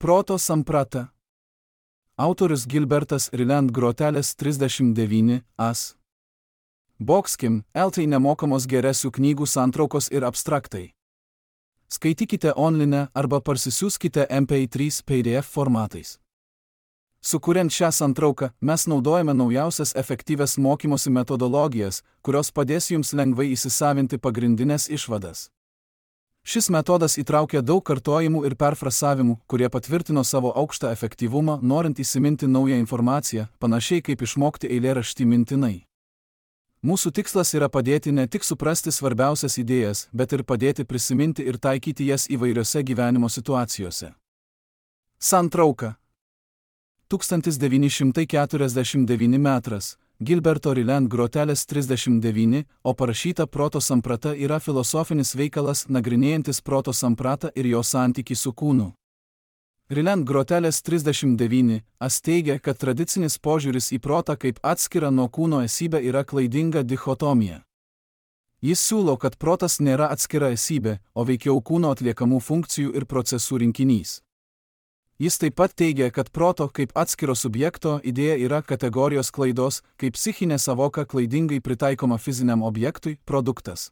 Proto samprata. Autorius Gilbertas Ryland Grotelis 39 as. Boxkim, LT nemokamos geresių knygų santraukos ir abstraktai. Skaitykite online arba parsisiųskite MP3 PDF formatais. Sukuriant šią santrauką, mes naudojame naujausias efektyvias mokymosi metodologijas, kurios padės jums lengvai įsisavinti pagrindinės išvadas. Šis metodas įtraukia daug kartojimų ir perfrasavimų, kurie patvirtino savo aukštą efektyvumą, norint įsiminti naują informaciją, panašiai kaip išmokti eilėraštį mintinai. Mūsų tikslas yra padėti ne tik suprasti svarbiausias idėjas, bet ir padėti prisiminti ir taikyti jas įvairiose gyvenimo situacijose. Santrauka. 1949 metras. Gilberto Ryland Grotelis 39, o parašyta Proto samprata yra filosofinis veikalas nagrinėjantis proto sampratą ir jo santykį su kūnu. Ryland Grotelis 39 teigia, kad tradicinis požiūris į protą kaip atskirą nuo kūno esybę yra klaidinga dichotomija. Jis siūlo, kad protas nėra atskira esybė, o veikiau kūno atliekamų funkcijų ir procesų rinkinys. Jis taip pat teigia, kad proto kaip atskiro subjekto idėja yra kategorijos klaidos, kaip psichinė savoka klaidingai pritaikoma fiziniam objektui, produktas.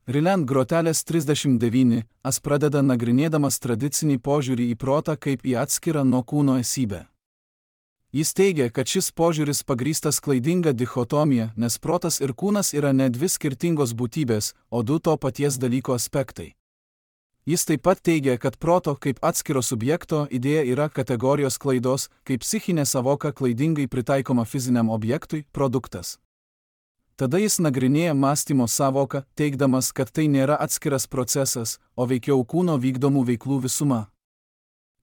Ryland Grotelis 39 pradeda nagrinėdamas tradicinį požiūrį į protą kaip į atskirą nuo kūno esybę. Jis teigia, kad šis požiūris pagrįstas klaidinga dichotomija, nes protas ir kūnas yra ne dvi skirtingos būtybės, o du to paties dalyko aspektai. Jis taip pat teigia, kad proto kaip atskiro subjekto idėja yra kategorijos klaidos, kaip psichinė savoka klaidingai pritaikoma fiziniam objektui, produktas. Tada jis nagrinėja mąstymo savoką, teigdamas, kad tai nėra atskiras procesas, o veikiau kūno vykdomų veiklų visuma.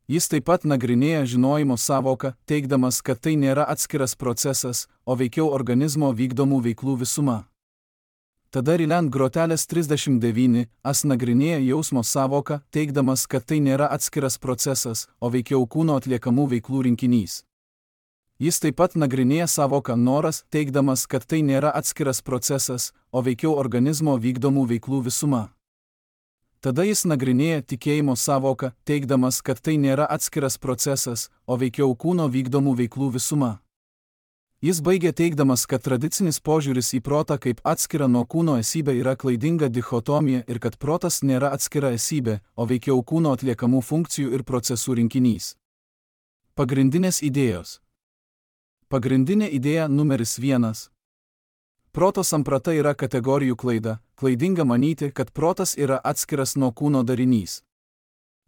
Jis taip pat nagrinėja žinojimo savoką, teigdamas, kad tai nėra atskiras procesas, o veikiau organizmo vykdomų veiklų visuma. Tada Ryland Grotelis 39 nagrinėja jausmo savoką, teigdamas, kad tai nėra atskiras procesas, o veikiau kūno atliekamų veiklų rinkinys. Jis taip pat nagrinėja savoką noras, teigdamas, kad tai nėra atskiras procesas, o veikiau organizmo vykdomų veiklų visuma. Tada jis nagrinėja tikėjimo savoką, teigdamas, kad tai nėra atskiras procesas, o veikiau kūno vykdomų veiklų visuma. Jis baigia teigdamas, kad tradicinis požiūris į protą kaip atskirą nuo kūno esybę yra klaidinga dichotomija ir kad protas nėra atskira esybė, o veikiau kūno atliekamų funkcijų ir procesų rinkinys. Pagrindinės idėjos. Pagrindinė idėja numeris 1. Proto samprata yra kategorijų klaida, klaidinga manyti, kad protas yra atskiras nuo kūno darinys.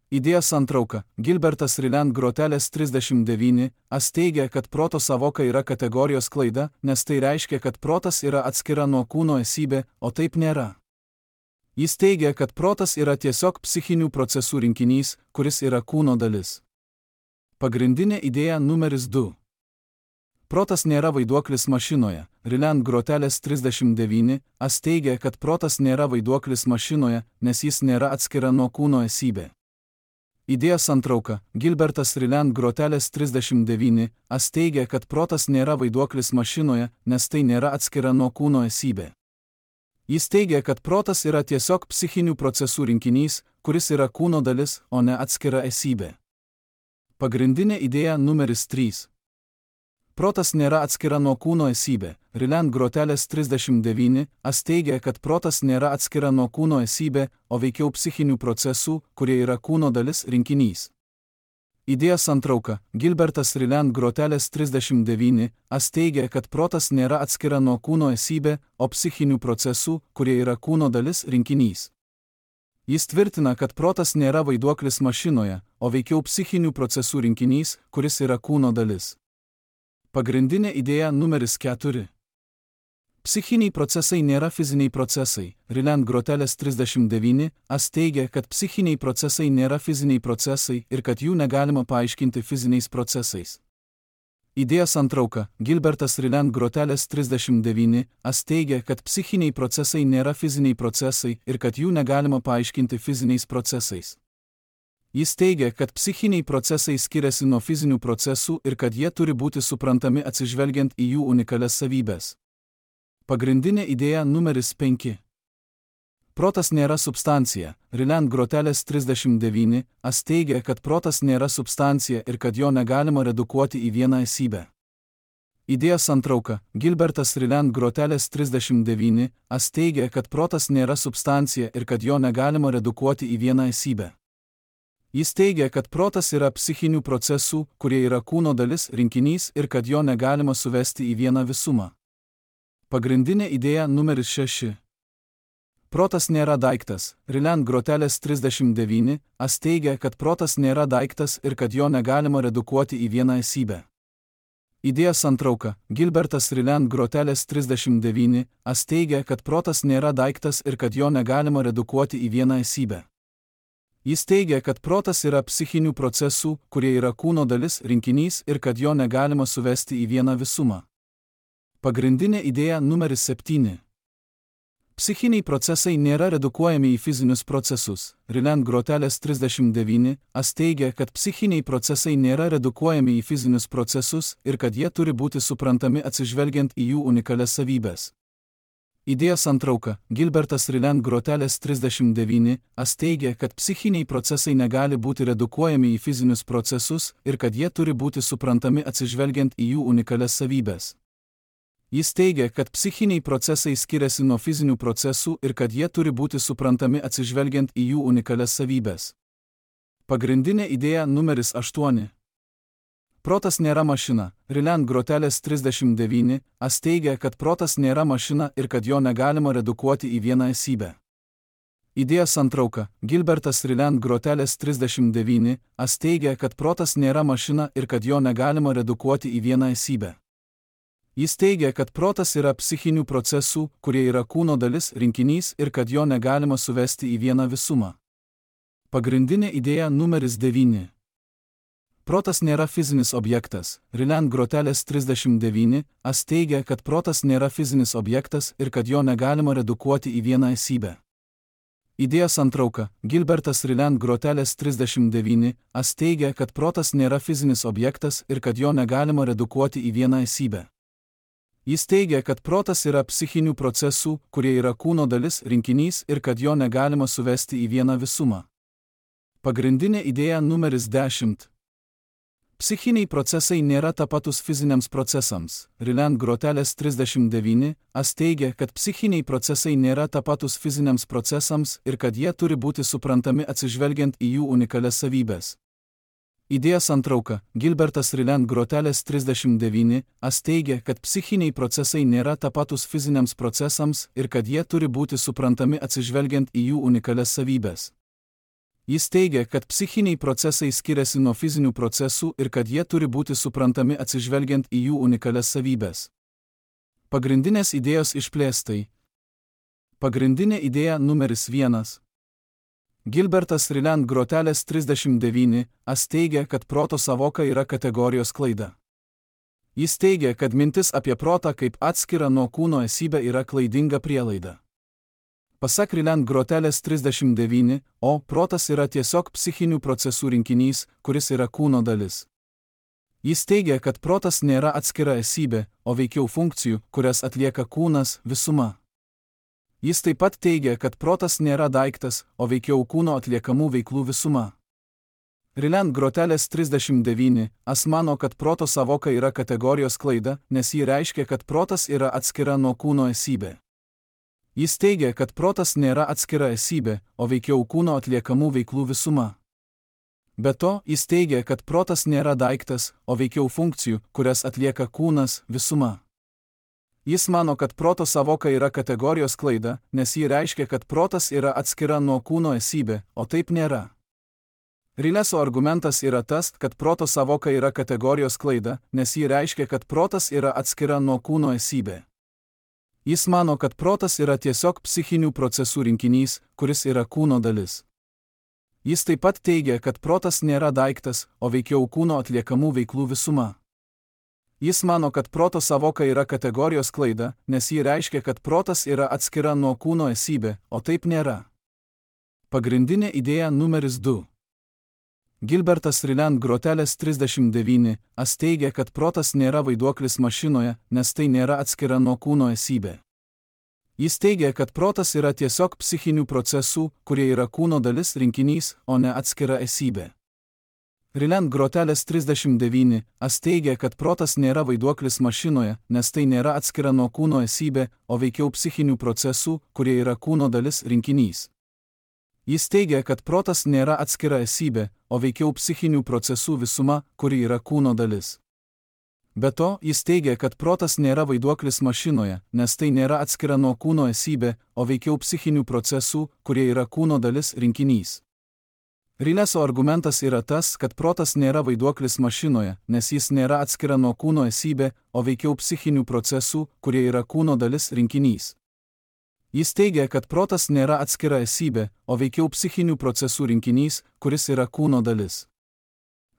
Idėja santrauka. Gilbertas Ryland Grotelis 39 teigia, kad proto savoka yra kategorijos klaida, nes tai reiškia, kad protas yra atskira nuo kūno esybė, o taip nėra. Jis teigia, kad protas yra tiesiog psichinių procesų rinkinys, kuris yra kūno dalis. Pagrindinė idėja numeris 2. Protas nėra vaiduoklis mašinoje. Ryland Grotelis 39 teigia, kad protas nėra vaiduoklis mašinoje, nes jis nėra atskira nuo kūno esybė. Idėja santrauka. Gilbertas Ryland Grotelis 39 teigia, kad protas nėra vaiduoklis mašinoje, nes tai nėra atskira nuo kūno esybė. Jis teigia, kad protas yra tiesiog psichinių procesų rinkinys, kuris yra kūno dalis, o ne atskira esybė. Pagrindinė idėja numeris 3. Protas nėra atskira nuo kūno esybė. Ryland Grotelis 39 teigia, kad protas nėra atskira nuo kūno esybė, o veikiau psichinių procesų, kurie yra kūno dalis, rinkinys. Idėja santrauka. Gilbertas Ryland Grotelis 39 teigia, kad protas nėra atskira nuo kūno esybė, o psichinių procesų, kurie yra kūno dalis, rinkinys. Jis tvirtina, kad protas nėra vaiduoklis mašinoje, o veikiau psichinių procesų rinkinys, kuris yra kūno dalis. Pagrindinė idėja numeris 4. Psichiniai procesai nėra fiziniai procesai. Ryland Grotelis 39 teigia, kad psichiniai procesai nėra fiziniai procesai ir kad jų negalima paaiškinti fiziniais procesais. Idėja santrauka. Gilbertas Ryland Grotelis 39 teigia, kad psichiniai procesai nėra fiziniai procesai ir kad jų negalima paaiškinti fiziniais procesais. Jis teigia, kad psichiniai procesai skiriasi nuo fizinių procesų ir kad jie turi būti suprantami atsižvelgiant į jų unikalias savybės. Pagrindinė idėja numeris 5. protas nėra substancija. Ryland Grotelis 39, As teigia, kad protas nėra substancija ir kad jo negalima redukuoti į vieną esybę. Idėjos santrauka. Gilbertas Ryland Grotelis 39, As teigia, kad protas nėra substancija ir kad jo negalima redukuoti į vieną esybę. Jis teigia, kad protas yra psichinių procesų, kurie yra kūno dalis, rinkinys ir kad jo negalima suvesti į vieną visumą. Pagrindinė idėja numeris 6. Protas nėra daiktas. Ryland Grotelis 39, As teigia, kad protas nėra daiktas ir kad jo negalima redukuoti į vieną esybę. Idėjos santrauka. Gilbertas Ryland Grotelis 39, As teigia, kad protas nėra daiktas ir kad jo negalima redukuoti į vieną esybę. Jis teigia, kad protas yra psichinių procesų, kurie yra kūno dalis, rinkinys ir kad jo negalima suvesti į vieną visumą. Pagrindinė idėja numeris 7. Psichiniai procesai nėra redukuojami į fizinius procesus. Ryland Grotelis 39, As teigia, kad psichiniai procesai nėra redukuojami į fizinius procesus ir kad jie turi būti suprantami atsižvelgiant į jų unikalias savybes. Idėjos santrauka. Gilbertas Ryland Grotelis 39, As teigia, kad psichiniai procesai negali būti redukuojami į fizinius procesus ir kad jie turi būti suprantami atsižvelgiant į jų unikalias savybes. Jis teigia, kad psichiniai procesai skiriasi nuo fizinių procesų ir kad jie turi būti suprantami atsižvelgiant į jų unikalias savybes. Pagrindinė idėja numeris 8. Protas nėra mašina. Ryland Grotelis 39, As teigia, kad protas nėra mašina ir kad jo negalima redukuoti į vieną esybę. Idėjos santrauka. Gilbertas Ryland Grotelis 39, As teigia, kad protas nėra mašina ir kad jo negalima redukuoti į vieną esybę. Jis teigia, kad protas yra psichinių procesų, kurie yra kūno dalis, rinkinys ir kad jo negalima suvesti į vieną visumą. Pagrindinė idėja numeris 9. Protas nėra fizinis objektas. Ryland Grotelis 39, As teigia, kad protas nėra fizinis objektas ir kad jo negalima redukuoti į vieną esybę. Idėjos santrauka. Gilbertas Ryland Grotelis 39, As teigia, kad protas nėra fizinis objektas ir kad jo negalima redukuoti į vieną esybę. Jis teigia, kad protas yra psichinių procesų, kurie yra kūno dalis, rinkinys ir kad jo negalima suvesti į vieną visumą. Pagrindinė idėja numeris 10. Psichiniai procesai nėra tapatus fiziniams procesams. Ryland Grotelis 39, As teigia, kad psichiniai procesai nėra tapatus fiziniams procesams ir kad jie turi būti suprantami atsižvelgiant į jų unikalias savybes. Idėjos santrauka. Gilbertas Ryland Grotelis 39, As teigia, kad psichiniai procesai nėra tapatus fiziniams procesams ir kad jie turi būti suprantami atsižvelgiant į jų unikalias savybes. Jis teigia, kad psichiniai procesai skiriasi nuo fizinių procesų ir kad jie turi būti suprantami atsižvelgiant į jų unikalias savybes. Pagrindinės idėjos išplėstai. Pagrindinė idėja numeris 1. Gilbertas Ryland Grotelis 39, As teigia, kad proto sąvoka yra kategorijos klaida. Jis teigia, kad mintis apie protą kaip atskirą nuo kūno esybę yra klaidinga prielaida. Pasak Ryland Grotelis 39, protas yra tiesiog psichinių procesų rinkinys, kuris yra kūno dalis. Jis teigia, kad protas nėra atskira esybė, o veikiau funkcijų, kurias atlieka kūnas, visuma. Jis taip pat teigia, kad protas nėra daiktas, o veikiau kūno atliekamų veiklų visuma. Ryland Grotelis 39, As mano, kad proto sąvoka yra kategorijos klaida, nes ji reiškia, kad protas yra atskira nuo kūno esybė. Jis teigia, kad protas nėra atskira esybė, o veikiau kūno atliekamų veiklų visuma. Be to, jis teigia, kad protas nėra daiktas, o veikiau funkcijų, kurias atlieka kūnas, visuma. Jis mano, kad proto sąvoka yra kategorijos klaida, nes ji reiškia, kad protas yra atskira nuo kūno esybė, o taip nėra. Rileso argumentas yra tas, kad proto sąvoka yra kategorijos klaida, nes ji reiškia, kad protas yra atskira nuo kūno esybė. Jis mano, kad protas yra tiesiog psichinių procesų rinkinys, kuris yra kūno dalis. Jis taip pat teigia, kad protas nėra daiktas, o veikiau kūno atliekamų veiklų visuma. Jis mano, kad proto sąvoka yra kategorijos klaida, nes ji reiškia, kad protas yra atskira nuo kūno esybė, o taip nėra. Pagrindinė idėja numeris 2. Gilbertas Ryland Grotelis 39, As teigia, kad protas nėra vaiduoklis mašinoje, nes tai nėra atskira nuo kūno esybė. Jis teigia, kad protas yra tiesiog psichinių procesų, kurie yra kūno dalis rinkinys, o ne atskira esybė. Ryland Grotelis 39 teigia, kad protas nėra vaiduoklis mašinoje, nes tai nėra atskira nuo kūno esybė, o veikiau psichinių procesų, kurie yra kūno dalis rinkinys. Jis teigia, kad protas nėra atskira esybė, o veikiau psichinių procesų visuma, kuri yra kūno dalis. Be to, jis teigia, kad protas nėra vaiduoklis mašinoje, nes tai nėra atskira nuo kūno esybė, o veikiau psichinių procesų, kurie yra kūno dalis rinkinys. Rileso argumentas yra tas, kad protas nėra vaiduoklis mašinoje, nes jis nėra atskira nuo kūno esybė, o veikiau psichinių procesų, kurie yra kūno dalis rinkinys. Jis teigia, kad protas nėra atskira esybė, o veikiau psichinių procesų rinkinys, kuris yra kūno dalis.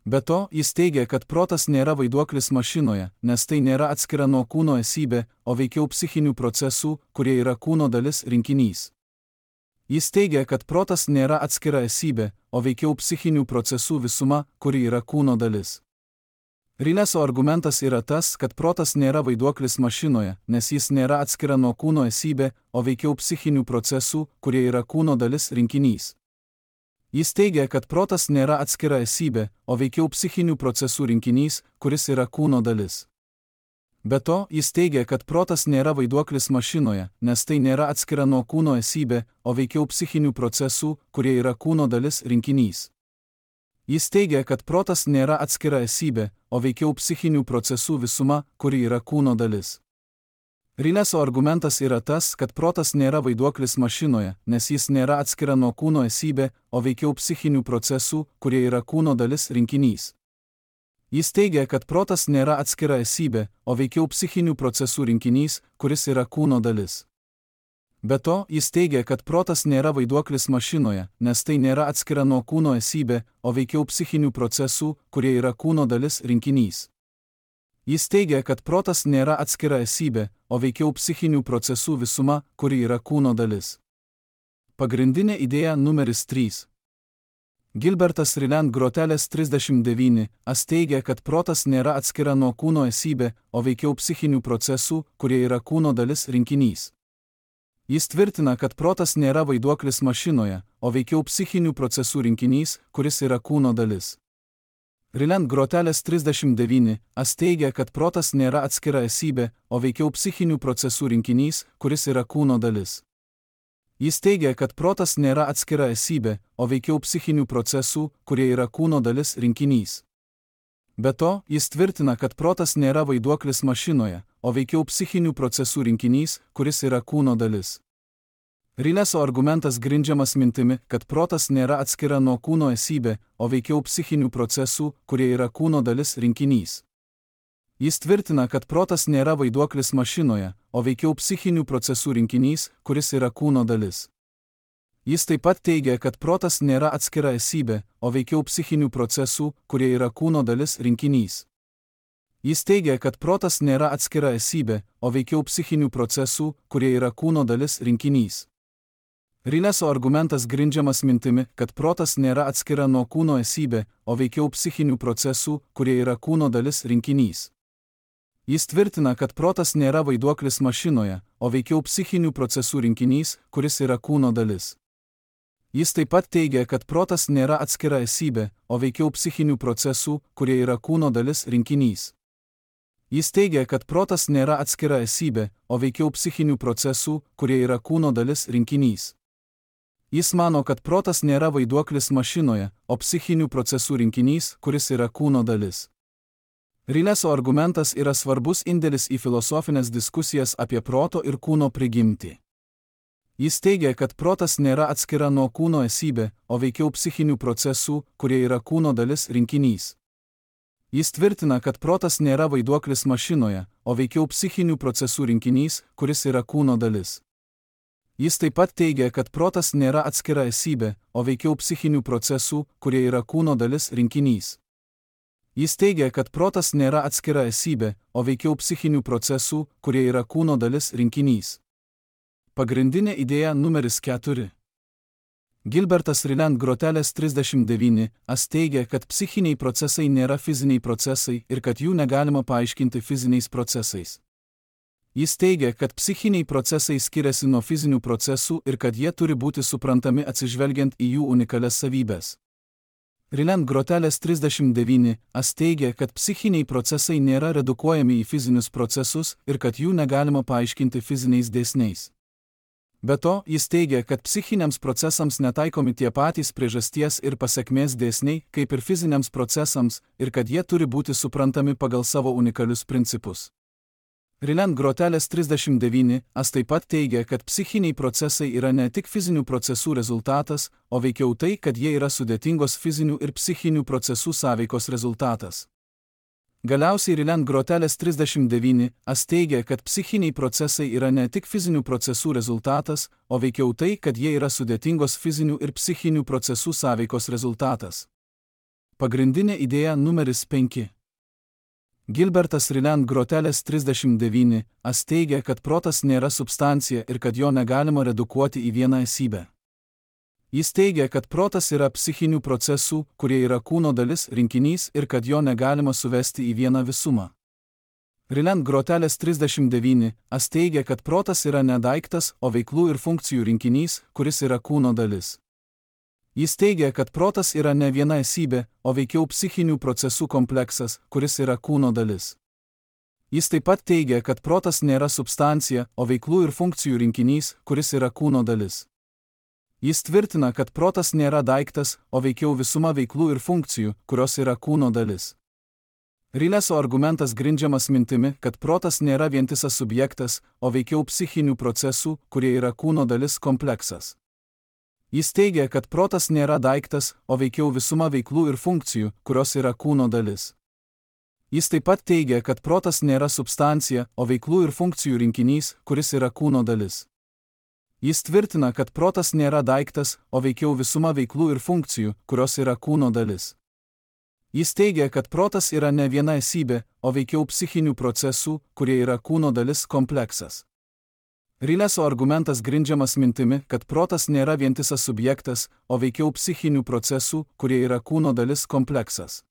Be to, jis teigia, kad protas nėra vaiduoklis mašinoje, nes tai nėra atskira nuo kūno esybė, o veikiau psichinių procesų, kurie yra kūno dalis rinkinys. Jis teigia, kad protas nėra atskira esybė, o veikiau psichinių procesų visuma, kuri yra kūno dalis. Rileso argumentas yra tas, kad protas nėra vaiduoklis mašinoje, nes jis nėra atskira nuo kūno esybė, o veikiau psichinių procesų, kurie yra kūno dalis rinkinys. Jis teigia, kad protas nėra atskira esybė, o veikiau psichinių procesų rinkinys, kuris yra kūno dalis. Be to, jis teigia, kad protas nėra vaiduoklis mašinoje, nes tai nėra atskira nuo kūno esybė, o veikiau psichinių procesų, kurie yra kūno dalis rinkinys. Jis teigia, kad protas nėra atskira esybė, o veikiau psichinių procesų visuma, kuri yra kūno dalis. Rileso argumentas yra tas, kad protas nėra vaiduoklis mašinoje, nes jis nėra atskira nuo kūno esybė, o veikiau psichinių procesų, kurie yra kūno dalis rinkinys. Jis teigia, kad protas nėra atskira esybė, o veikiau psichinių procesų rinkinys, kuris yra kūno dalis. Be to, jis teigia, kad protas nėra vaiduoklis mašinoje, nes tai nėra atskira nuo kūno esybė, o veikiau psichinių procesų, kurie yra kūno dalis rinkinys. Jis teigia, kad protas nėra atskira esybė, o veikiau psichinių procesų visuma, kuri yra kūno dalis. Pagrindinė idėja numeris 3. Gilbertas Ryland Grotelis 39 teigia, kad protas nėra atskira nuo kūno esybė, o veikiau psichinių procesų, kurie yra kūno dalis rinkinys. Jis tvirtina, kad protas nėra vaiduoklis mašinoje, o veikiau psichinių procesų rinkinys, kuris yra kūno dalis. Ryland Grotelis 39 teigia, kad protas nėra atskira esybė, o veikiau psichinių procesų rinkinys, kuris yra kūno dalis. Jis teigia, kad protas nėra atskira esybė, o veikiau psichinių procesų, kurie yra kūno dalis rinkinys. Be to, jis tvirtina, kad protas nėra vaiduoklis mašinoje, o veikiau psichinių procesų rinkinys, kuris yra kūno dalis. Rileso argumentas grindžiamas mintimi, kad protas nėra atskira nuo kūno esybė, o veikiau psichinių procesų, kurie yra kūno dalis rinkinys. Jis tvirtina, kad protas nėra vaiduoklis mašinoje, o veikiau psichinių procesų rinkinys, kuris yra kūno dalis. Jis taip pat teigia, kad protas nėra atskira esybė, o veikiau psichinių procesų, kurie yra kūno dalis rinkinys. Jis teigia, kad protas nėra atskira esybė, o veikiau psichinių procesų, kurie yra kūno dalis rinkinys. Rileso argumentas grindžiamas mintimi, kad protas nėra atskira nuo kūno esybė, o veikiau psichinių procesų, kurie yra kūno dalis rinkinys. Jis tvirtina, kad protas nėra vaiduoklis mašinoje, o veikiau psichinių procesų rinkinys, kuris yra kūno dalis. Jis taip pat teigia, kad protas nėra atskira esybė, o veikiau psichinių procesų, kurie yra kūno dalis rinkinys. Jis teigia, kad protas nėra atskira esybė, o veikiau psichinių procesų, kurie yra kūno dalis rinkinys. Jis mano, kad protas nėra vaiduoklis mašinoje, o psichinių procesų rinkinys, kuris yra kūno dalis. Rileso argumentas yra svarbus indėlis į filosofinės diskusijas apie proto ir kūno prigimtį. Jis teigia, kad protas nėra atskira nuo kūno esybė, o veikiau psichinių procesų, kurie yra kūno dalis rinkinys. Jis tvirtina, kad protas nėra vaiduoklis mašinoje, o veikiau psichinių procesų rinkinys, kuris yra kūno dalis. Jis taip pat teigia, kad protas nėra atskira esybė, o veikiau psichinių procesų, kurie yra kūno dalis rinkinys. Jis teigia, kad protas nėra atskira esybė, o veikiau psichinių procesų, kurie yra kūno dalis rinkinys. Pagrindinė idėja numeris 4. Gilbertas Ryland Grotelis 39 teigia, kad psichiniai procesai nėra fiziniai procesai ir kad jų negalima paaiškinti fiziniais procesais. Jis teigia, kad psichiniai procesai skiriasi nuo fizinių procesų ir kad jie turi būti suprantami atsižvelgiant į jų unikalias savybes. Ryland Grotelis 39 teigia, kad psichiniai procesai nėra redukuojami į fizinius procesus ir kad jų negalima paaiškinti fiziniais dėsniais. Be to, jis teigia, kad psichiniams procesams netaikomi tie patys priežasties ir pasekmės dėsniai, kaip ir fiziniams procesams, ir kad jie turi būti suprantami pagal savo unikalius principus. Ryland Grotelis 39 taip pat teigia, kad psichiniai procesai yra ne tik fizinių procesų rezultatas, o veikiau tai, kad jie yra sudėtingos fizinių ir psichinių procesų sąveikos rezultatas. Galiausiai Ryland Grotelis 39 teigia, kad psichiniai procesai yra ne tik fizinių procesų rezultatas, o veikiau tai, kad jie yra sudėtingos fizinių ir psichinių procesų sąveikos rezultatas. Pagrindinė idėja numeris 5. Gilbertas Ryland Grotelis 39 teigia, kad protas nėra substancija ir kad jo negalima redukuoti į vieną esybę. Jis teigia, kad protas yra psichinių procesų, kurie yra kūno dalis, rinkinys ir kad jo negalima suvesti į vieną visumą. Ryland Grotelis 39 teigia, kad protas yra ne daiktas, o veiklų ir funkcijų rinkinys, kuris yra kūno dalis. Jis teigia, kad protas yra ne viena esybė, o veikiau psichinių procesų kompleksas, kuris yra kūno dalis. Jis taip pat teigia, kad protas nėra substancija, o veiklų ir funkcijų rinkinys, kuris yra kūno dalis. Jis tvirtina, kad protas nėra daiktas, o veikiau visuma veiklų ir funkcijų, kurios yra kūno dalis. Rileso argumentas grindžiamas mintimi, kad protas nėra vientisas subjektas, o veikiau psichinių procesų, kurie yra kūno dalis kompleksas. Jis teigia, kad protas nėra daiktas, o veikiau visuma veiklų ir funkcijų, kurios yra kūno dalis. Jis taip pat teigia, kad protas nėra substancija, o veiklų ir funkcijų rinkinys, kuris yra kūno dalis. Jis tvirtina, kad protas nėra daiktas, o veikiau visuma veiklų ir funkcijų, kurios yra kūno dalis. Jis teigia, kad protas yra ne viena esybė, o veikiau psichinių procesų, kurie yra kūno dalis kompleksas. Rileso argumentas grindžiamas mintimi, kad protas nėra vientisas subjektas, o veikiau psichinių procesų, kurie yra kūno dalis kompleksas.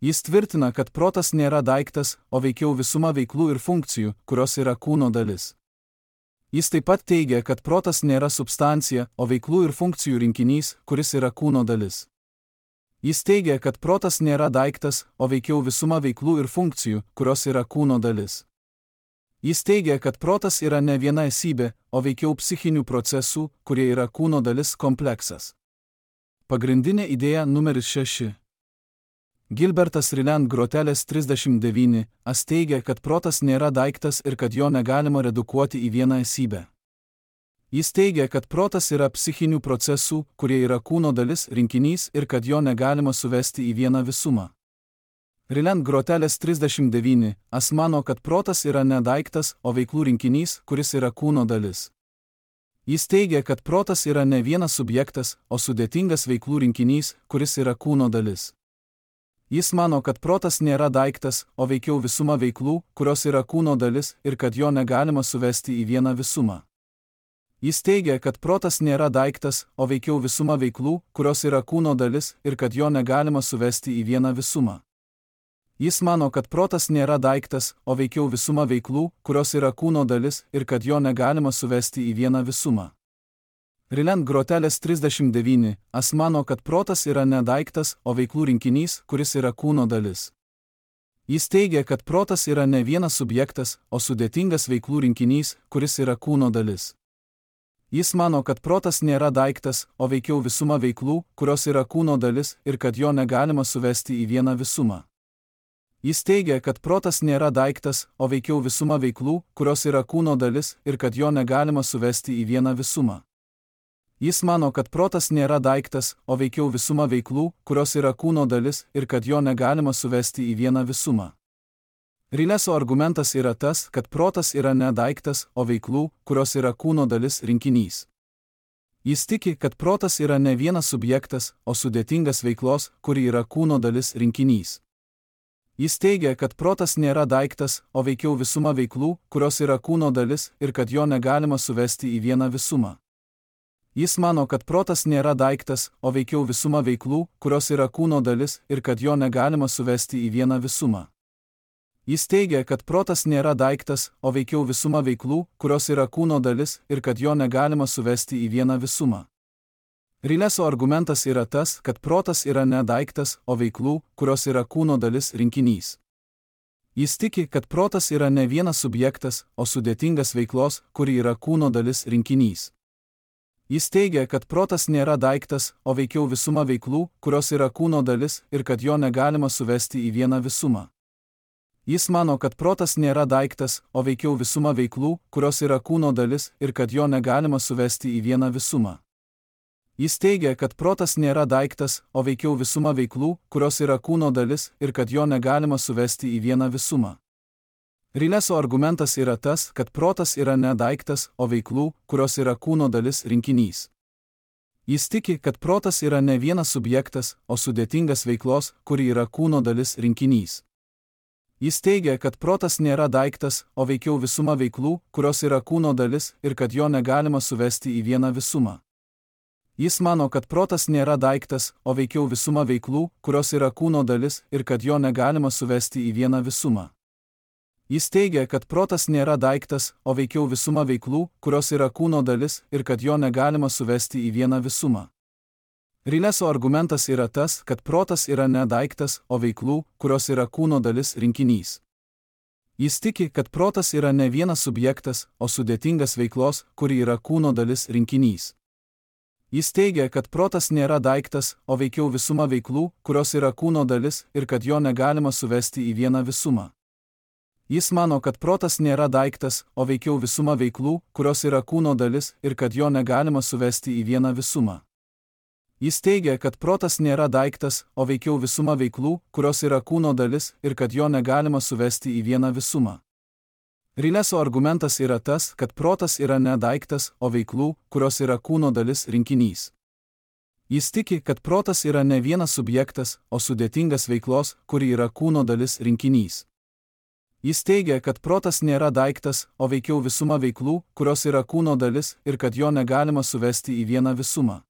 Jis tvirtina, kad protas nėra daiktas, o veikiau visuma veiklų ir funkcijų, kurios yra kūno dalis. Jis taip pat teigia, kad protas nėra substancija, o veiklų ir funkcijų rinkinys, kuris yra kūno dalis. Jis teigia, kad protas nėra daiktas, o veikiau visuma veiklų ir funkcijų, kurios yra kūno dalis. Jis teigia, kad protas yra ne viena esybė, o veikiau psichinių procesų, kurie yra kūno dalis kompleksas. Pagrindinė idėja numeris 6. Gilbertas Ryland Grotelis 39 teigia, kad protas nėra daiktas ir kad jo negalima redukuoti į vieną esybę. Jis teigia, kad protas yra psichinių procesų, kurie yra kūno dalis rinkinys ir kad jo negalima suvesti į vieną visumą. Ryland Grotelis 39 mano, kad protas yra ne daiktas, o veiklų rinkinys, kuris yra kūno dalis. Jis teigia, kad protas yra ne vienas subjektas, o sudėtingas veiklų rinkinys, kuris yra kūno dalis. Jis mano, kad protas nėra daiktas, o veikiau visuma veiklų, kurios yra kūno dalis ir kad jo negalima suvesti į vieną visumą. Jis teigia, kad protas nėra daiktas, o veikiau visuma veiklų, kurios yra kūno dalis ir kad jo negalima suvesti į vieną visumą. Jis mano, kad protas nėra daiktas, o veikiau visuma veiklų, kurios yra kūno dalis ir kad jo negalima suvesti į vieną visumą. Ryland Grotelis 39 mano, kad protas yra ne daiktas, o veiklų rinkinys, kuris yra kūno dalis. Jis teigia, kad protas yra ne vienas subjektas, o sudėtingas veiklų rinkinys, kuris yra kūno dalis. Jis mano, kad protas nėra daiktas, o veikiau visuma veiklų, kurios yra kūno dalis ir kad jo negalima suvesti į vieną visumą. Jis teigia, kad protas nėra daiktas, o veikiau visuma veiklų, kurios yra kūno dalis ir kad jo negalima suvesti į vieną visumą. Jis mano, kad protas nėra daiktas, o veikiau visuma veiklų, kurios yra kūno dalis ir kad jo negalima suvesti į vieną visumą. Rileso argumentas yra tas, kad protas yra ne daiktas, o veiklų, kurios yra kūno dalis rinkinys. Jis tiki, kad protas yra ne vienas subjektas, o sudėtingas veiklos, kuri yra kūno dalis rinkinys. Jis teigia, kad protas nėra daiktas, o veikiau visuma veiklų, kurios yra kūno dalis ir kad jo negalima suvesti į vieną visumą. Jis mano, kad protas nėra daiktas, o veikiau visuma veiklų, kurios yra kūno dalis ir kad jo negalima suvesti į vieną visumą. Jis teigia, kad protas nėra daiktas, o veikiau visuma veiklų, kurios yra kūno dalis ir kad jo negalima suvesti į vieną visumą. Rileso argumentas yra tas, kad protas yra ne daiktas, o veiklų, kurios yra kūno dalis rinkinys. Jis tiki, kad protas yra ne vienas subjektas, o sudėtingas veiklos, kuri yra kūno dalis rinkinys. Jis teigia, kad protas nėra daiktas, o veikiau visuma veiklų, kurios yra kūno dalis ir kad jo negalima suvesti į vieną visumą. Jis mano, kad protas nėra daiktas, o veikiau visuma veiklų, kurios yra kūno dalis ir kad jo negalima suvesti į vieną visumą. Jis teigia, kad protas nėra daiktas, o veikiau visuma veiklų, kurios yra kūno dalis ir kad jo negalima suvesti į vieną visumą. Rileso argumentas yra tas, kad protas yra ne daiktas, o veiklų, kurios yra kūno dalis rinkinys. Jis tiki, kad protas yra ne vienas subjektas, o sudėtingas veiklos, kuri yra kūno dalis rinkinys. Jis teigia, kad protas nėra daiktas, o veikiau visuma veiklų, kurios yra kūno dalis ir kad jo negalima suvesti į vieną visumą. Jis mano, kad protas nėra daiktas, o veikiau visuma veiklų, kurios yra kūno dalis ir kad jo negalima suvesti į vieną visumą. Jis teigia, kad protas nėra daiktas, o veikiau visuma veiklų, kurios yra kūno dalis ir kad jo negalima suvesti į vieną visumą. Rileso argumentas yra tas, kad protas yra ne daiktas, o veiklų, kurios yra kūno dalis rinkinys. Jis tiki, kad protas yra ne vienas subjektas, o sudėtingas veiklos, kuri yra kūno dalis rinkinys. Jis teigia, kad protas nėra daiktas, o veikiau visuma veiklų, kurios yra kūno dalis ir kad jo negalima suvesti į vieną visumą. Jis mano, kad protas nėra daiktas, o veikiau visuma veiklų, kurios yra kūno dalis ir kad jo negalima suvesti į vieną visumą. Jis teigia, kad protas nėra daiktas, o veikiau visuma veiklų, kurios yra kūno dalis ir kad jo negalima suvesti į vieną visumą. Rileso argumentas yra tas, kad protas yra ne daiktas, o veiklų, kurios yra kūno dalis rinkinys. Jis tiki, kad protas yra ne vienas subjektas, o sudėtingas veiklos, kuri yra kūno dalis rinkinys. Jis teigia, kad protas nėra daiktas, o veikiau visuma veiklų, kurios yra kūno dalis ir kad jo negalima suvesti į vieną visumą.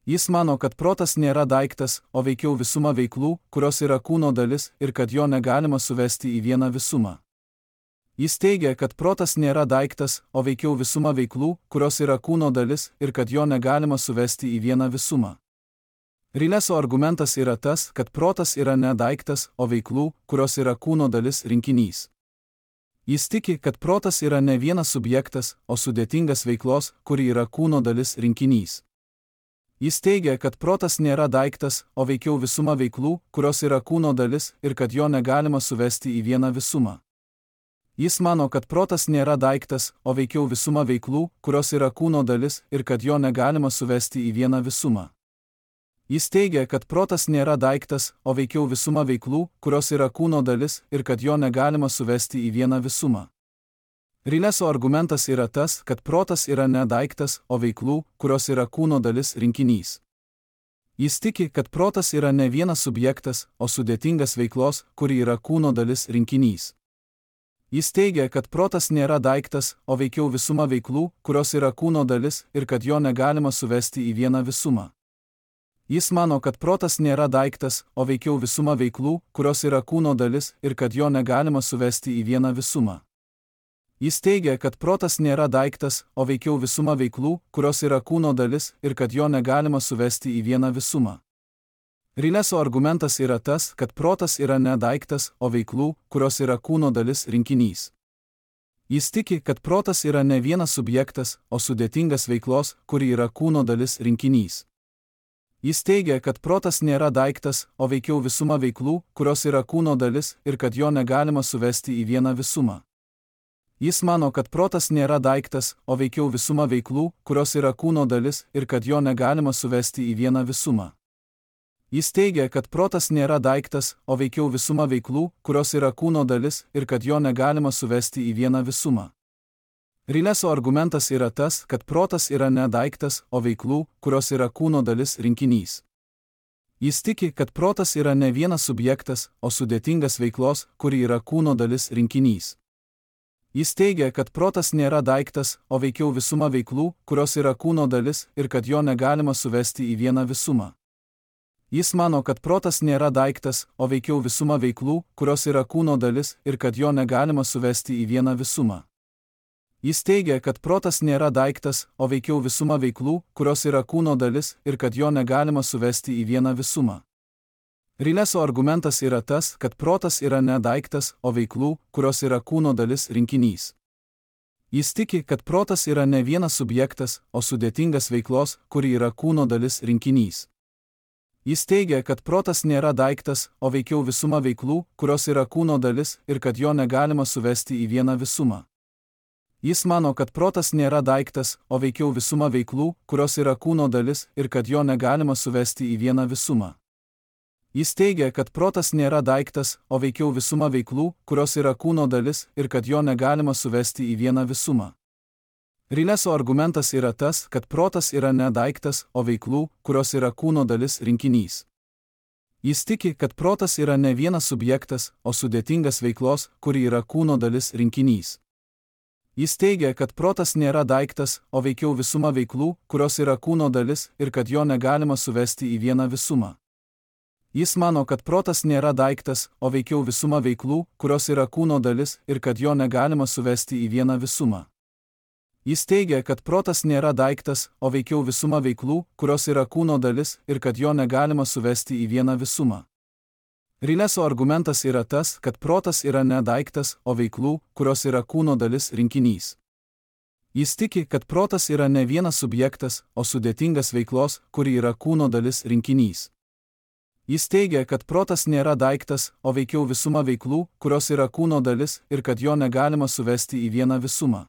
Jis mano, kad protas nėra daiktas, o veikiau visuma veiklų, kurios yra kūno dalis ir kad jo negalima suvesti į vieną visumą. Jis teigia, kad protas nėra daiktas, o veikiau visuma veiklų, kurios yra kūno dalis ir kad jo negalima suvesti į vieną visumą. Rileso argumentas yra tas, kad protas yra ne daiktas, o veiklų, kurios yra kūno dalis rinkinys. Jis tiki, kad protas yra ne vienas subjektas, o sudėtingas veiklos, kuri yra kūno dalis rinkinys. Jis teigia, kad protas nėra daiktas, o veikiau visuma veiklų, kurios yra kūno dalis ir kad jo negalima suvesti į vieną visumą. Jis mano, kad protas nėra daiktas, o veikiau visuma veiklų, kurios yra kūno dalis ir kad jo negalima suvesti į vieną visumą. Jis teigia, kad protas nėra daiktas, o veikiau visuma veiklų, kurios yra kūno dalis ir kad jo negalima suvesti į vieną visumą. Rileso argumentas yra tas, kad protas yra ne daiktas, o veiklų, kurios yra kūno dalis rinkinys. Jis tiki, kad protas yra ne vienas subjektas, o sudėtingas veiklos, kuri yra kūno dalis rinkinys. Jis teigia, kad protas nėra daiktas, o veikiau visuma veiklų, kurios yra kūno dalis ir kad jo negalima suvesti į vieną visumą. Jis mano, kad protas nėra daiktas, o veikiau visuma veiklų, kurios yra kūno dalis ir kad jo negalima suvesti į vieną visumą. Jis teigia, kad protas nėra daiktas, o veikiau visuma veiklų, kurios yra kūno dalis ir kad jo negalima suvesti į vieną visumą. Rileso argumentas yra tas, kad protas yra ne daiktas, o veiklų, kurios yra kūno dalis rinkinys. Jis tiki, kad protas yra ne vienas subjektas, o sudėtingas veiklos, kuri yra kūno dalis rinkinys. Jis teigia, kad protas nėra daiktas, o veikiau visuma veiklų, kurios yra kūno dalis ir kad jo negalima suvesti į vieną visumą. Jis mano, kad protas nėra daiktas, o veikiau visuma veiklų, kurios yra kūno dalis ir kad jo negalima suvesti į vieną visumą. Jis teigia, kad protas nėra daiktas, o veikiau visuma veiklų, kurios yra kūno dalis ir kad jo negalima suvesti į vieną visumą. Rileso argumentas yra tas, kad protas yra ne daiktas, o veiklų, kurios yra kūno dalis rinkinys. Jis tiki, kad protas yra ne vienas subjektas, o sudėtingas veiklos, kuri yra kūno dalis rinkinys. Jis teigia, kad protas nėra daiktas, o veikiau visuma veiklų, kurios yra kūno dalis ir kad jo negalima suvesti į vieną visumą. Jis mano, kad protas nėra daiktas, o veikiau visuma veiklų, kurios yra kūno dalis ir kad jo negalima suvesti į vieną visumą. Jis teigia, kad protas nėra daiktas, o veikiau visuma veiklų, kurios yra kūno dalis ir kad jo negalima suvesti į vieną visumą. Rileso argumentas yra tas, kad protas yra ne daiktas, o veiklų, kurios yra kūno dalis rinkinys. Jis tiki, kad protas yra ne vienas subjektas, o sudėtingas veiklos, kuri yra kūno dalis rinkinys. Jis teigia, kad protas nėra daiktas, o veikiau visuma veiklų, kurios yra kūno dalis ir kad jo negalima suvesti į vieną visumą. Jis mano, kad protas nėra daiktas, o veikiau visuma veiklų, kurios yra kūno dalis ir kad jo negalima suvesti į vieną visumą. Jis teigia, kad protas nėra daiktas, o veikiau visuma veiklų, kurios yra kūno dalis ir kad jo negalima suvesti į vieną visumą. Rileso argumentas yra tas, kad protas yra ne daiktas, o veiklų, kurios yra kūno dalis rinkinys. Jis tiki, kad protas yra ne vienas subjektas, o sudėtingas veiklos, kuri yra kūno dalis rinkinys. Jis teigia, kad protas nėra daiktas, o veikiau visuma veiklų, kurios yra kūno dalis ir kad jo negalima suvesti į vieną visumą. Jis mano, kad protas nėra daiktas, o veikiau visuma veiklų, kurios yra kūno dalis ir kad jo negalima suvesti į vieną visumą. Jis teigia, kad protas nėra daiktas, o veikiau visuma veiklų, kurios yra kūno dalis ir kad jo negalima suvesti į vieną visumą. Rileso argumentas yra tas, kad protas yra ne daiktas, o veiklų, kurios yra kūno dalis rinkinys. Jis tiki, kad protas yra ne vienas subjektas, o sudėtingas veiklos, kuri yra kūno dalis rinkinys. Jis teigia, kad protas nėra daiktas, o veikiau visuma veiklų, kurios yra kūno dalis ir kad jo negalima suvesti į vieną visumą.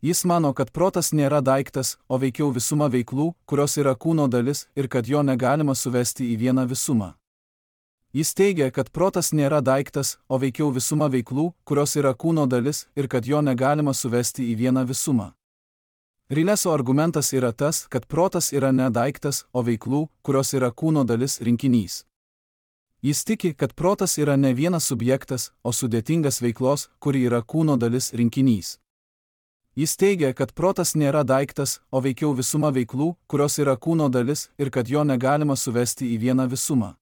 Jis mano, kad protas nėra daiktas, o veikiau visuma veiklų, kurios yra kūno dalis ir kad jo negalima suvesti į vieną visumą. Jis teigia, kad protas nėra daiktas, o veikiau visuma veiklų, kurios yra kūno dalis ir kad jo negalima suvesti į vieną visumą. Rileso argumentas yra tas, kad protas yra ne daiktas, o veiklų, kurios yra kūno dalis rinkinys. Jis tiki, kad protas yra ne vienas subjektas, o sudėtingas veiklos, kuri yra kūno dalis rinkinys. Jis teigia, kad protas nėra daiktas, o veikiau visuma veiklų, kurios yra kūno dalis ir kad jo negalima suvesti į vieną visumą.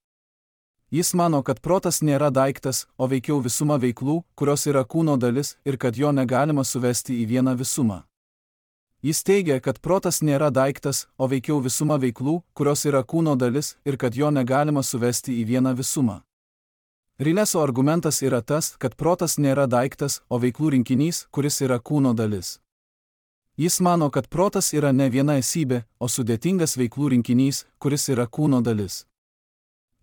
Jis mano, kad protas nėra daiktas, o veikiau visuma veiklų, kurios yra kūno dalis ir kad jo negalima suvesti į vieną visumą. Jis teigia, kad protas nėra daiktas, o veikiau visuma veiklų, kurios yra kūno dalis ir kad jo negalima suvesti į vieną visumą. Rileso argumentas yra tas, kad protas nėra daiktas, o veiklų rinkinys, kuris yra kūno dalis. Jis mano, kad protas yra ne viena esybė, o sudėtingas veiklų rinkinys, kuris yra kūno dalis.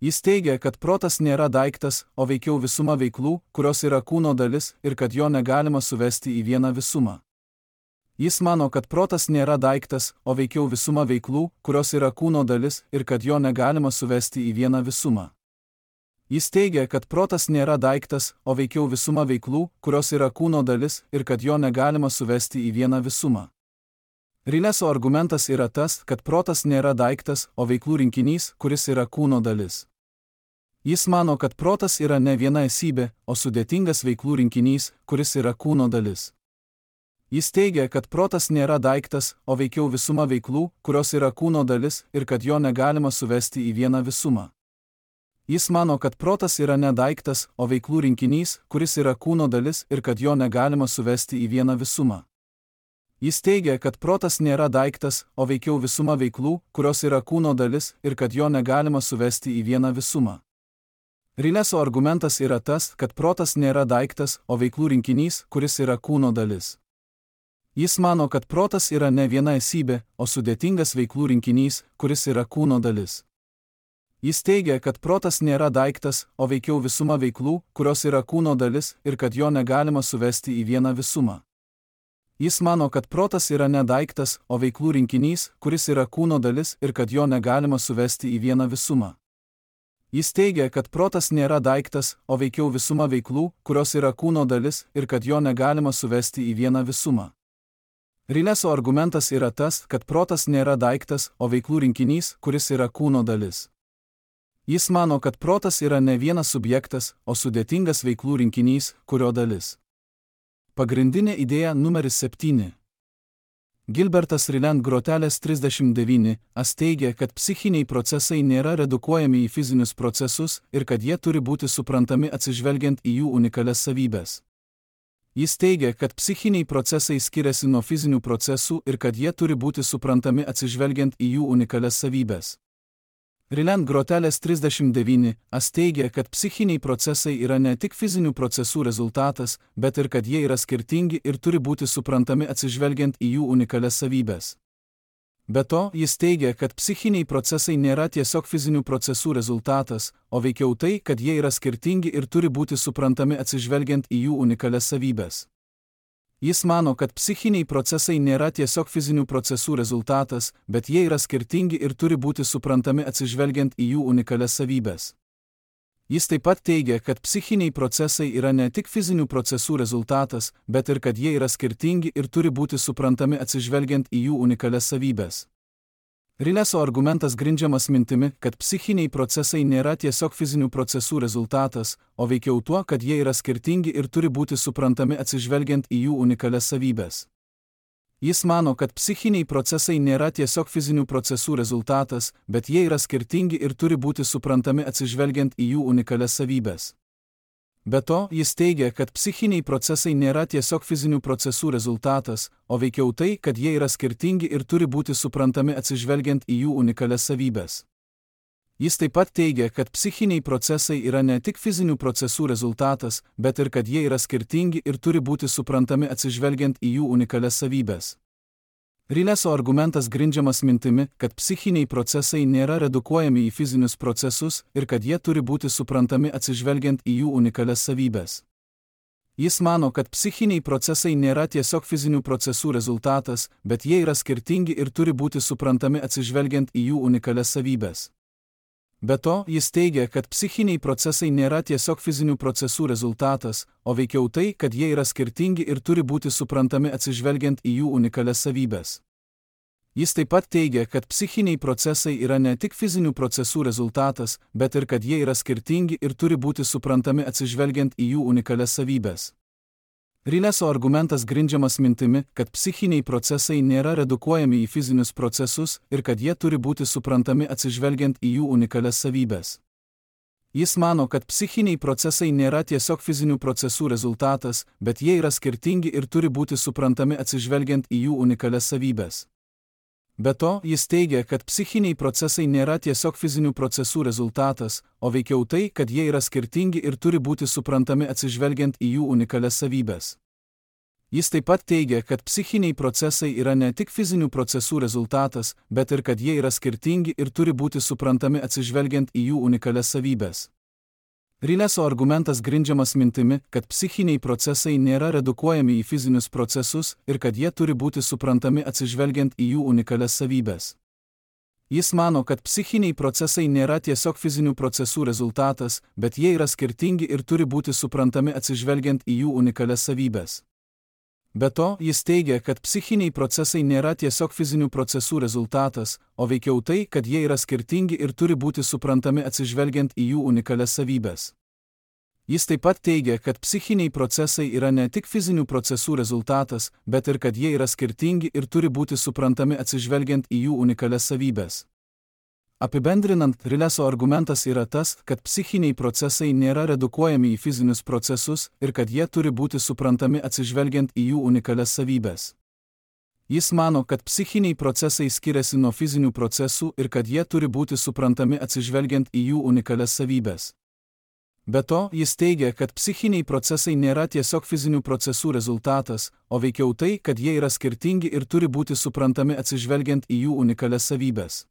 Jis teigia, kad protas nėra daiktas, o veikiau visuma veiklų, kurios yra kūno dalis ir kad jo negalima suvesti į vieną visumą. Jis mano, kad protas nėra daiktas, o veikiau visuma veiklų, kurios yra kūno dalis ir kad jo negalima suvesti į vieną visumą. Jis teigia, kad protas nėra daiktas, o veikiau visuma veiklų, kurios yra kūno dalis ir kad jo negalima suvesti į vieną visumą. Rileso argumentas yra tas, kad protas nėra daiktas, o veiklų rinkinys, kuris yra kūno dalis. Jis mano, kad protas yra ne viena esybė, o sudėtingas veiklų rinkinys, kuris yra kūno dalis. Jis teigia, kad protas nėra daiktas, o veikiau visuma veiklų, kurios yra kūno dalis ir kad jo negalima suvesti į vieną visumą. Jis mano, kad protas yra ne daiktas, o veiklų rinkinys, kuris yra kūno dalis ir kad jo negalima suvesti į vieną visumą. Jis teigia, kad protas nėra daiktas, o veikiau visuma veiklų, kurios yra kūno dalis ir kad jo negalima suvesti į vieną visumą. Rileso argumentas yra tas, kad protas nėra daiktas, o veiklų rinkinys, kuris yra kūno dalis. Jis mano, kad protas yra ne viena esybė, o sudėtingas veiklų rinkinys, kuris yra kūno dalis. Jis teigia, kad protas nėra daiktas, o veikiau visuma veiklų, kurios yra kūno dalis ir kad jo negalima suvesti į vieną visumą. Jis mano, kad protas yra ne daiktas, o veiklų rinkinys, kuris yra kūno dalis ir kad jo negalima suvesti į vieną visumą. Jis teigia, kad protas nėra daiktas, o veikiau visuma veiklų, kurios yra kūno dalis ir kad jo negalima suvesti į vieną visumą. Rileso argumentas yra tas, kad protas nėra daiktas, o veiklų rinkinys, kuris yra kūno dalis. Jis mano, kad protas yra ne vienas subjektas, o sudėtingas veiklų rinkinys, kurio dalis. Pagrindinė idėja numeris 7. Gilbertas Ryland Grotelis 39 teigia, kad psichiniai procesai nėra redukuojami į fizinius procesus ir kad jie turi būti suprantami atsižvelgiant į jų unikalias savybes. Jis teigia, kad psichiniai procesai skiriasi nuo fizinių procesų ir kad jie turi būti suprantami atsižvelgiant į jų unikalias savybes. Ryland Grotelis 39 teigia, kad psichiniai procesai yra ne tik fizinių procesų rezultatas, bet ir kad jie yra skirtingi ir turi būti suprantami atsižvelgiant į jų unikalias savybes. Be to, jis teigia, kad psichiniai procesai nėra tiesiog fizinių procesų rezultatas, o veikiau tai, kad jie yra skirtingi ir turi būti suprantami atsižvelgiant į jų unikalias savybes. Jis mano, kad psichiniai procesai nėra tiesiog fizinių procesų rezultatas, bet jie yra skirtingi ir turi būti suprantami atsižvelgiant į jų unikalias savybes. Jis taip pat teigia, kad psichiniai procesai yra ne tik fizinių procesų rezultatas, bet ir kad jie yra skirtingi ir turi būti suprantami atsižvelgiant į jų unikalias savybes. Ryleso argumentas grindžiamas mintimi, kad psichiniai procesai nėra tiesiog fizinių procesų rezultatas, o veikiau tuo, kad jie yra skirtingi ir turi būti suprantami atsižvelgiant į jų unikalias savybes. Jis mano, kad psichiniai procesai nėra tiesiog fizinių procesų rezultatas, bet jie yra skirtingi ir turi būti suprantami atsižvelgiant į jų unikalias savybes. Be to, jis teigia, kad psichiniai procesai nėra tiesiog fizinių procesų rezultatas, o veikiau tai, kad jie yra skirtingi ir turi būti suprantami atsižvelgiant į jų unikalias savybes. Jis taip pat teigia, kad psichiniai procesai yra ne tik fizinių procesų rezultatas, bet ir kad jie yra skirtingi ir turi būti suprantami atsižvelgiant į jų unikalias savybes. Ryleso argumentas grindžiamas mintimi, kad psichiniai procesai nėra redukuojami į fizinius procesus ir kad jie turi būti suprantami atsižvelgiant į jų unikalias savybes. Jis mano, kad psichiniai procesai nėra tiesiog fizinių procesų rezultatas, bet jie yra skirtingi ir turi būti suprantami atsižvelgiant į jų unikalias savybes. Be to, jis teigia, kad psichiniai procesai nėra tiesiog fizinių procesų rezultatas, o veikiau tai, kad jie yra skirtingi ir turi būti suprantami atsižvelgiant į jų unikalias savybes. Jis taip pat teigia, kad psichiniai procesai yra ne tik fizinių procesų rezultatas, bet ir kad jie yra skirtingi ir turi būti suprantami atsižvelgiant į jų unikalias savybes. Ryleso argumentas grindžiamas mintimi, kad psichiniai procesai nėra redukuojami į fizinius procesus ir kad jie turi būti suprantami atsižvelgiant į jų unikalias savybes. Jis mano, kad psichiniai procesai nėra tiesiog fizinių procesų rezultatas, bet jie yra skirtingi ir turi būti suprantami atsižvelgiant į jų unikalias savybes. Be to, jis teigia, kad psichiniai procesai nėra tiesiog fizinių procesų rezultatas, o veikiau tai, kad jie yra skirtingi ir turi būti suprantami atsižvelgiant į jų unikalias savybes. Jis taip pat teigia, kad psichiniai procesai yra ne tik fizinių procesų rezultatas, bet ir kad jie yra skirtingi ir turi būti suprantami atsižvelgiant į jų unikalias savybes. Ryleso argumentas grindžiamas mintimi, kad psichiniai procesai nėra redukuojami į fizinius procesus ir kad jie turi būti suprantami atsižvelgiant į jų unikalias savybes. Jis mano, kad psichiniai procesai nėra tiesiog fizinių procesų rezultatas, bet jie yra skirtingi ir turi būti suprantami atsižvelgiant į jų unikalias savybes. Be to, jis teigia, kad psichiniai procesai nėra tiesiog fizinių procesų rezultatas, o veikiau tai, kad jie yra skirtingi ir turi būti suprantami atsižvelgiant į jų unikalias savybes. Jis taip pat teigia, kad psichiniai procesai yra ne tik fizinių procesų rezultatas, bet ir kad jie yra skirtingi ir turi būti suprantami atsižvelgiant į jų unikalias savybes. Apibendrinant, Ryleso argumentas yra tas, kad psichiniai procesai nėra redukuojami į fizinius procesus ir kad jie turi būti suprantami atsižvelgiant į jų unikalias savybes. Jis mano, kad psichiniai procesai skiriasi nuo fizinių procesų ir kad jie turi būti suprantami atsižvelgiant į jų unikalias savybes. Be to, jis teigia, kad psichiniai procesai nėra tiesiog fizinių procesų rezultatas, o veikiau tai, kad jie yra skirtingi ir turi būti suprantami atsižvelgiant į jų unikalias savybes.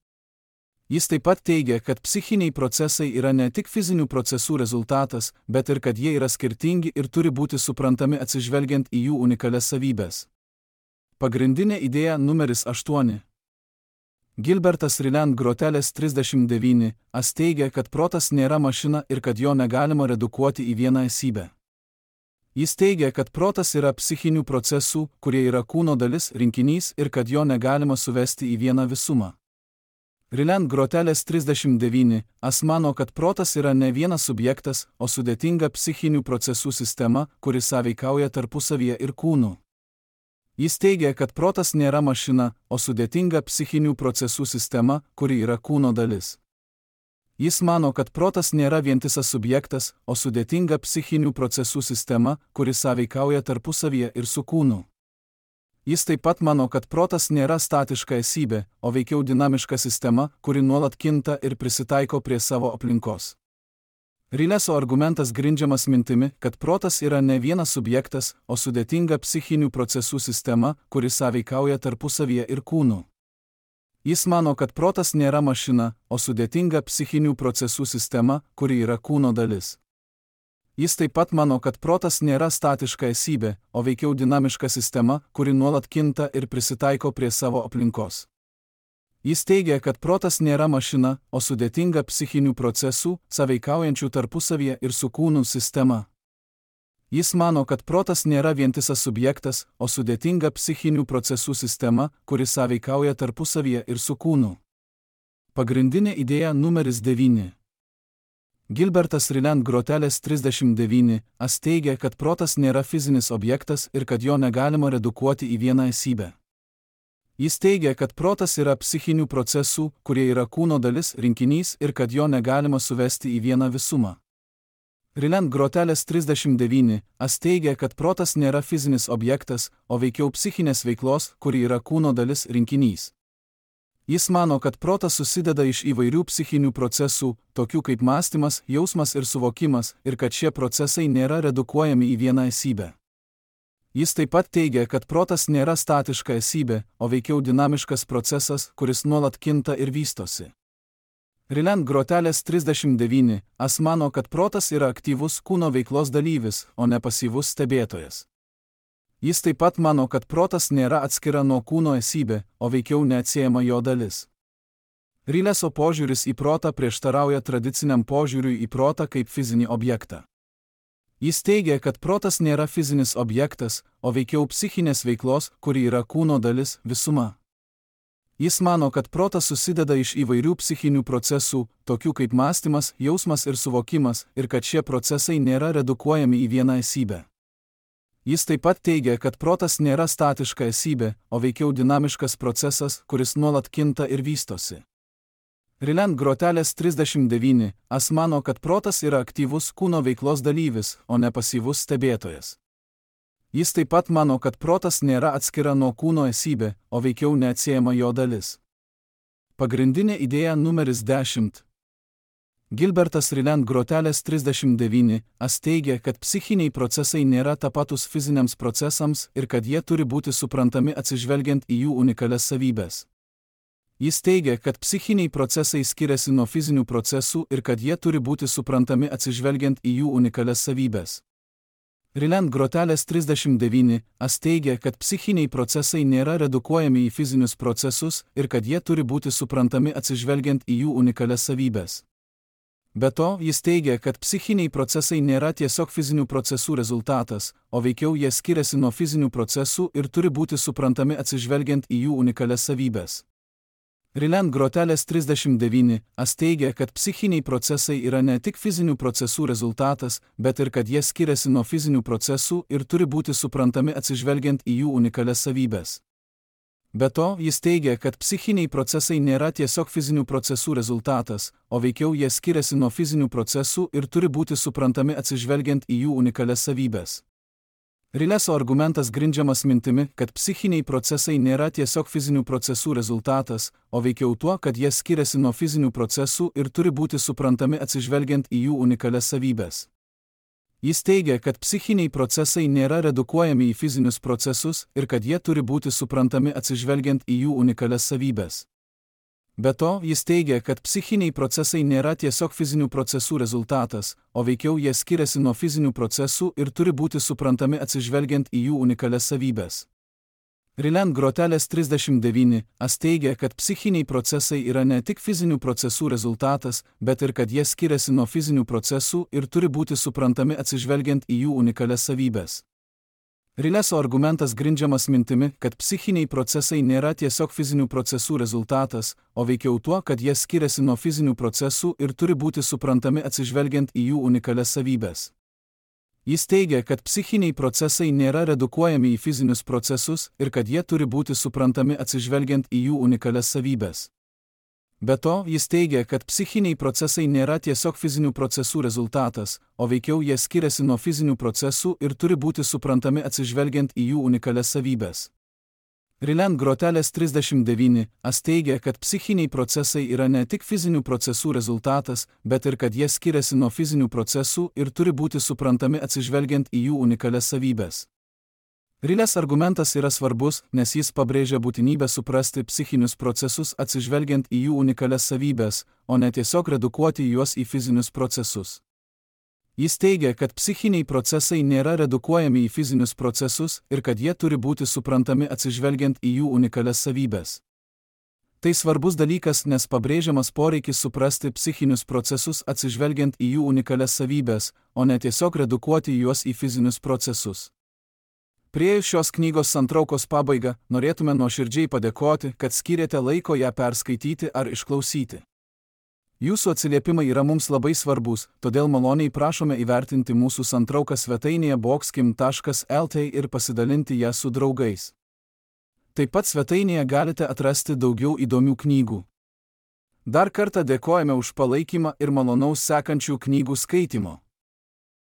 Jis taip pat teigia, kad psichiniai procesai yra ne tik fizinių procesų rezultatas, bet ir kad jie yra skirtingi ir turi būti suprantami atsižvelgiant į jų unikalias savybes. Pagrindinė idėja numeris 8. Gilbertas Ryland Grotelis 39 teigia, kad protas nėra mašina ir kad jo negalima redukuoti į vieną esybę. Jis teigia, kad protas yra psichinių procesų, kurie yra kūno dalis, rinkinys ir kad jo negalima suvesti į vieną visumą. Ryland Grotelis 39 mano, kad protas yra ne vienas subjektas, o sudėtinga psichinių procesų sistema, kuri sąveikauja tarpusavyje ir kūnu. Jis teigia, kad protas nėra mašina, o sudėtinga psichinių procesų sistema, kuri yra kūno dalis. Jis mano, kad protas nėra vientisas subjektas, o sudėtinga psichinių procesų sistema, kuri sąveikauja tarpusavyje ir su kūnu. Jis taip pat mano, kad protas nėra statiška esybė, o veikiau dinamiška sistema, kuri nuolat kinta ir prisitaiko prie savo aplinkos. Rileso argumentas grindžiamas mintimi, kad protas yra ne vienas subjektas, o sudėtinga psichinių procesų sistema, kuri sąveikauja tarpusavyje ir kūnu. Jis mano, kad protas nėra mašina, o sudėtinga psichinių procesų sistema, kuri yra kūno dalis. Jis taip pat mano, kad protas nėra statiška esybė, o veikiau dinamiška sistema, kuri nuolat kinta ir prisitaiko prie savo aplinkos. Jis teigia, kad protas nėra mašina, o sudėtinga psichinių procesų, sąveikaujančių tarpusavyje ir su kūnu sistema. Jis mano, kad protas nėra vientisas subjektas, o sudėtinga psichinių procesų sistema, kuri sąveikauja tarpusavyje ir su kūnu. Pagrindinė idėja numeris 9. Gilbertas Ryland Grotelis 39 teigia, kad protas nėra fizinis objektas ir kad jo negalima redukuoti į vieną esybę. Jis teigia, kad protas yra psichinių procesų, kurie yra kūno dalis, rinkinys ir kad jo negalima suvesti į vieną visumą. Ryland Grotelis 39 teigia, kad protas nėra fizinis objektas, o veikiau psichinės veiklos, kuri yra kūno dalis, rinkinys. Jis mano, kad protas susideda iš įvairių psichinių procesų, tokių kaip mąstymas, jausmas ir suvokimas, ir kad šie procesai nėra redukuojami į vieną esybę. Jis taip pat teigia, kad protas nėra statiška esybė, o veikiau dinamiškas procesas, kuris nuolat kinta ir vystosi. Ryland Grotelis 39 mano, kad protas yra aktyvus kūno veiklos dalyvis, o ne pasyvus stebėtojas. Jis taip pat mano, kad protas nėra atskira nuo kūno esybė, o veikiau neatsiejama jo dalis. Rileso požiūris į protą prieštarauja tradiciniam požiūriui į protą kaip fizinį objektą. Jis teigia, kad protas nėra fizinis objektas, o veikiau psichinės veiklos, kuri yra kūno dalis, visuma. Jis mano, kad protas susideda iš įvairių psichinių procesų, tokių kaip mąstymas, jausmas ir suvokimas, ir kad šie procesai nėra redukuojami į vieną esybę. Jis taip pat teigia, kad protas nėra statiška esybė, o veikiau dinamiškas procesas, kuris nuolat kinta ir vystosi. Ryland Grotelis 39 mano, kad protas yra aktyvus kūno veiklos dalyvis, o ne pasyvus stebėtojas. Jis taip pat mano, kad protas nėra atskira nuo kūno esybė, o veikiau neatsiejama jo dalis. Pagrindinė idėja numeris 10. Gilbertas Ryland Grotelis 39 teigia, kad psichiniai procesai nėra tapatus fiziniams procesams ir kad jie turi būti suprantami atsižvelgiant į jų unikalias savybes. Jis teigia, kad psichiniai procesai skiriasi nuo fizinių procesų ir kad jie turi būti suprantami atsižvelgiant į jų unikalias savybes. Ryland Grotelis 39 teigia, kad psichiniai procesai nėra redukuojami į fizinius procesus ir kad jie turi būti suprantami atsižvelgiant į jų unikalias savybes. Be to, jis teigia, kad psichiniai procesai nėra tiesiog fizinių procesų rezultatas, o veikiau jie skiriasi nuo fizinių procesų ir turi būti suprantami atsižvelgiant į jų unikalias savybes. Ryland Grotelis 39 teigia, kad psichiniai procesai yra ne tik fizinių procesų rezultatas, bet ir kad jie skiriasi nuo fizinių procesų ir turi būti suprantami atsižvelgiant į jų unikalias savybes. Be to, jis teigia, kad psichiniai procesai nėra tiesiog fizinių procesų rezultatas, o veikiau jie skiriasi nuo fizinių procesų ir turi būti suprantami atsižvelgiant į jų unikalias savybes. Rileso argumentas grindžiamas mintimi, kad psichiniai procesai nėra tiesiog fizinių procesų rezultatas, o veikiau tuo, kad jie skiriasi nuo fizinių procesų ir turi būti suprantami atsižvelgiant į jų unikalias savybes. Jis teigia, kad psichiniai procesai nėra redukuojami į fizinius procesus ir kad jie turi būti suprantami atsižvelgiant į jų unikalias savybes. Be to, jis teigia, kad psichiniai procesai nėra tiesiog fizinių procesų rezultatas, o veikiau jie skiriasi nuo fizinių procesų ir turi būti suprantami atsižvelgiant į jų unikalias savybes. Ryland Grotelis 39 teigia, kad psichiniai procesai yra ne tik fizinių procesų rezultatas, bet ir kad jie skiriasi nuo fizinių procesų ir turi būti suprantami atsižvelgiant į jų unikalias savybes. Rileso argumentas grindžiamas mintimi, kad psichiniai procesai nėra tiesiog fizinių procesų rezultatas, o veikiau tuo, kad jie skiriasi nuo fizinių procesų ir turi būti suprantami atsižvelgiant į jų unikalias savybes. Jis teigia, kad psichiniai procesai nėra redukuojami į fizinius procesus ir kad jie turi būti suprantami atsižvelgiant į jų unikalias savybes. Be to, jis teigia, kad psichiniai procesai nėra tiesiog fizinių procesų rezultatas, o veikiau jie skiriasi nuo fizinių procesų ir turi būti suprantami atsižvelgiant į jų unikalias savybes. Ryland Grotelis 39 teigia, kad psichiniai procesai yra ne tik fizinių procesų rezultatas, bet ir kad jie skiriasi nuo fizinių procesų ir turi būti suprantami atsižvelgiant į jų unikalias savybes. Rilės argumentas yra svarbus, nes jis pabrėžia būtinybę suprasti psichinius procesus atsižvelgiant į jų unikalias savybes, o ne tiesiog redukuoti juos į fizinius procesus. Jis teigia, kad psichiniai procesai nėra redukuojami į fizinius procesus ir kad jie turi būti suprantami atsižvelgiant į jų unikalias savybes. Tai svarbus dalykas, nes pabrėžiamas poreikis suprasti psichinius procesus atsižvelgiant į jų unikalias savybes, o ne tiesiog redukuoti juos į fizinius procesus. Priėjus šios knygos santraukos pabaigą, norėtume nuoširdžiai padėkoti, kad skyrėte laiko ją perskaityti ar išklausyti. Jūsų atsiliepimai yra mums labai svarbus, todėl maloniai prašome įvertinti mūsų santrauką svetainėje boxkim.lt ir pasidalinti ją su draugais. Taip pat svetainėje galite atrasti daugiau įdomių knygų. Dar kartą dėkojame už palaikymą ir malonaus sekančių knygų skaitimo.